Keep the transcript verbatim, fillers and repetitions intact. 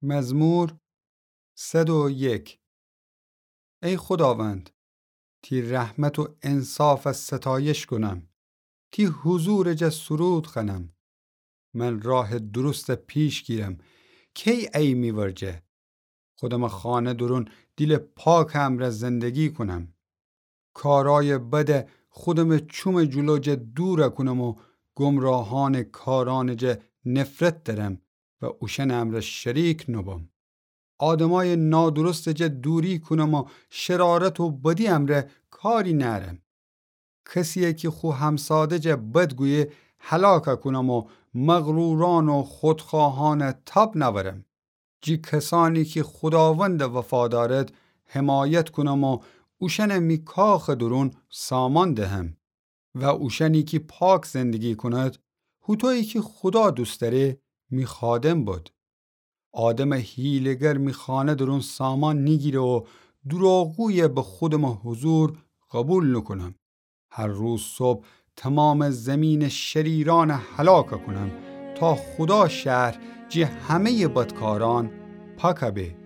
مزمور صد و یک. ای خوداوند، تی رحمت و انصافٚ ستایش کونم، تی حضورٚ جا سرود خوأنم. من راهٚ درستَ پیش گیرم، کی ای می ورجه؟ خودمٚ خانه درون دیلٚ پاکٚ امرأ زندگی کونم. کارأیٚ بدَ خودمٚ چومٚ جلو جا دورَ کونم و گمراهأنٚ کارأنٚ جا نفرت دأرم و اوشأنٚ امرأ شریک نوبم. آدمأیٚ نادرستٚ جا دوری کونم و شرارت و بدی امرأ کاری نأرم. کسیی کی خو همساده جا بد گویه هلاکَ کونم و مغرورأن و خودخوأهأنَ تاب نأورم. جی کسأنی کی خوداوندَ وفا دأرد حمایت کونم و اوشأنَ می کاخٚ درون سامان دهم و اوشأنی کی پاک زندگی کند، هوطویی کی خودا دوست دأره، می خادم بد. آدمٚ حیله‌گر می خانه درون سامان نیگیره و دروغگویَ به خودمٚ حضور قوبیل نوکونم. هر روز صبح تومامٚ زیمینٚ شریرأنَ هلاکَ کونم، تا خودا شهر جی همه‌یٚ بدکارأن پاکَ به.